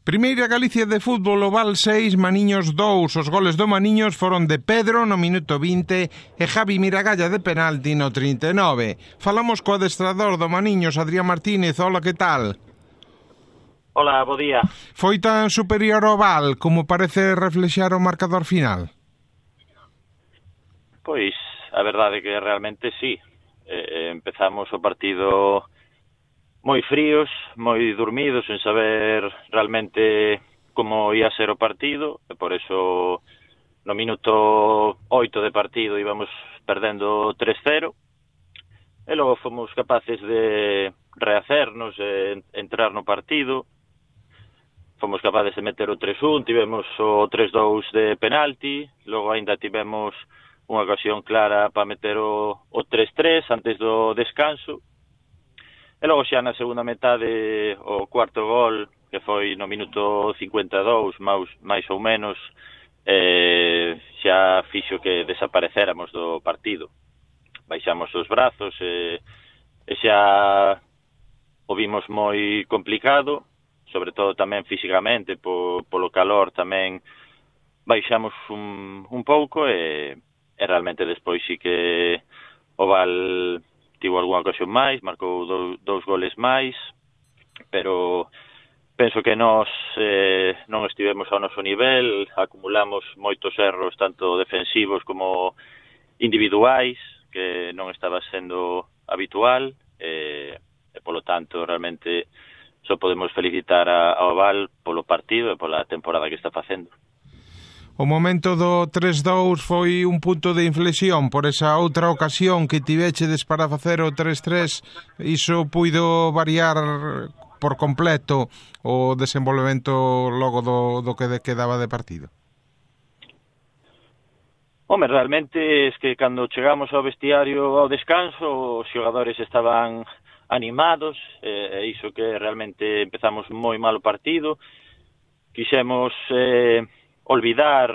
Primeira Galicia de fútbol, Oval 6, Maniños 2. Os goles do Maniños foron de Pedro no minuto 20 e Javi Miragalla de penalti no 39. Falamos co adestrador do Maniños, Adrián Martínez. Hola, que tal? Hola, bo día. Foi tan superior ao Oval como parece reflexar o marcador final? Pois, a verdade é que realmente sí. Empezamos o partido moi fríos, moi dormidos, sen saber realmente como ia ser o partido, e por eso no minuto 8 de partido íbamos perdendo 3-0, e logo fomos capaces de rehacernos, de entrar no partido, fomos capaces de meter o 3-1, tivemos o 3-2 de penalti, logo aínda tivemos unha ocasión clara para meter o 3-3 antes do descanso. E logo xa na segunda metade o cuarto gol, que foi no minuto 52, máis ou menos, xa fixo que desaparecéramos do partido. Baixamos os brazos e xa o vimos moi complicado, sobre todo tamén físicamente, polo calor tamén baixamos un pouco e realmente despois sí que o Val tivo algunha ocasión máis, marcou dous goles máis, pero penso que nós non estivemos ao noso nivel, acumulamos moitos erros tanto defensivos como individuais, que non estaba sendo habitual, e polo tanto realmente só podemos felicitar ao Val polo partido e pola temporada que está facendo. O momento do 3-2 foi un punto de inflexión por esa outra ocasión que tivechedes para facer o 3-3. Iso puido variar por completo o desenvolvemento logo do que quedaba de partido? Home, realmente es que cando chegamos ao vestiario ao descanso os xogadores estaban animados, e iso que realmente empezamos moi mal o partido. Quixemos olvidar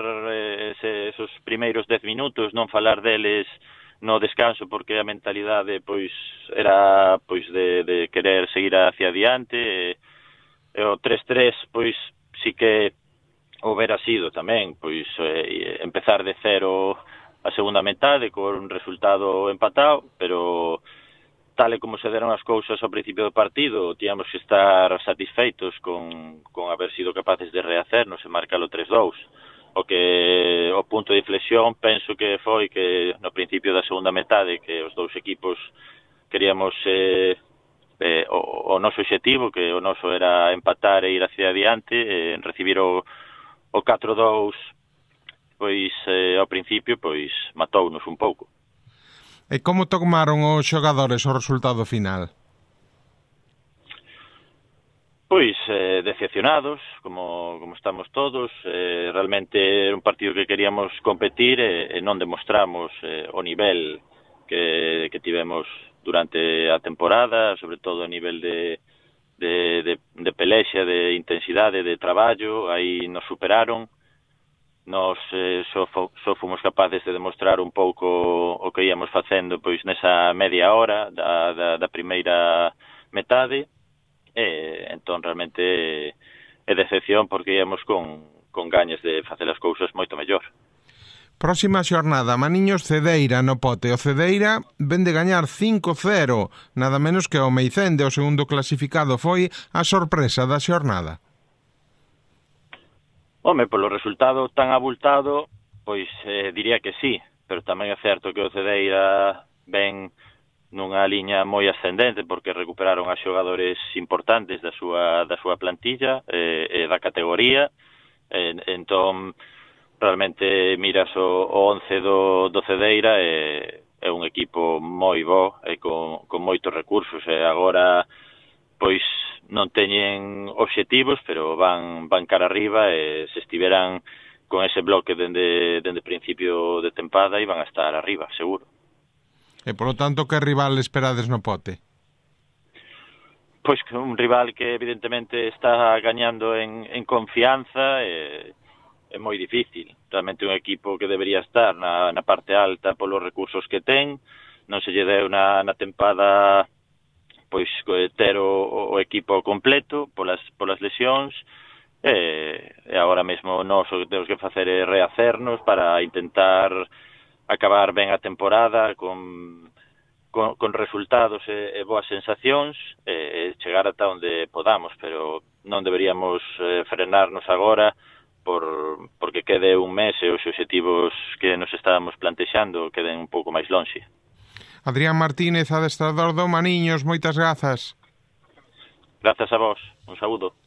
esos primeiros 10 minutos, non falar deles no descanso, porque a mentalidade pois era pois de querer seguir hacia adiante, e o 3-3 pois sí que houbera sido tamén pois empezar de cero a segunda metade con un resultado empatado, pero tal e como se deron as cousas ao principio do partido, tíamos que estar satisfeitos con haber sido capaces de rehacernos e marcar o 3-2. O punto de inflexión penso que foi que no principio da segunda metade que os dous equipos queríamos o noso obxectivo, que o noso era empatar e ir hacia adiante, recibir o 4-2 pois ao principio pois matounos un pouco. E como tomaron os xogadores o resultado final? Pois decepcionados, como estamos todos. Realmente era un partido que queríamos competir e non demostramos o nivel que tivemos durante a temporada, sobre todo a nivel de pelexa, de intensidade, de traballo. Aí nos superaron. Nós só fomos capaces de demostrar un pouco o que íamos facendo pois nesa media hora da primeira metade, e entón realmente é decepción porque íamos con gañas de facer as cousas moito mellor. Próxima xornada, Maniños Cedeira no Pote. O Cedeira ven de gañar 5-0, nada menos que o Meicende, o segundo clasificado. Foi a sorpresa da xornada. Home, polo resultado tan abultado, pois diría que sí, pero tamén é certo que o Cedeira ven nunha liña moi ascendente porque recuperaron a xogadores importantes da súa plantilla e da categoría, entón realmente miras o 11 do Cedeira é un equipo moi bo e con moitos recursos, e agora pois non teñen obxectivos, pero van cara arriba, e se estiveran con ese bloque dende principio de tempada iban a estar arriba, seguro. E, polo tanto, que rival esperades no Pote? Pois que un rival que evidentemente está gañando en confianza, é moi difícil. Realmente un equipo que debería estar na parte alta polos recursos que ten, non se lle deu na tempada pois ter o equipo completo polas lesións, E agora mesmo nós o que temos que facer é rehacernos para intentar acabar ben a temporada con resultados e boas sensacións e chegar ata onde podamos, pero non deberíamos frenarnos agora porque quede un mes e os obxectivos que nos estábamos plantexando queden un pouco máis lonxe. Adrián Martínez, adestrador do Maniños, moitas grazas. Grazas a vos, un saúdo.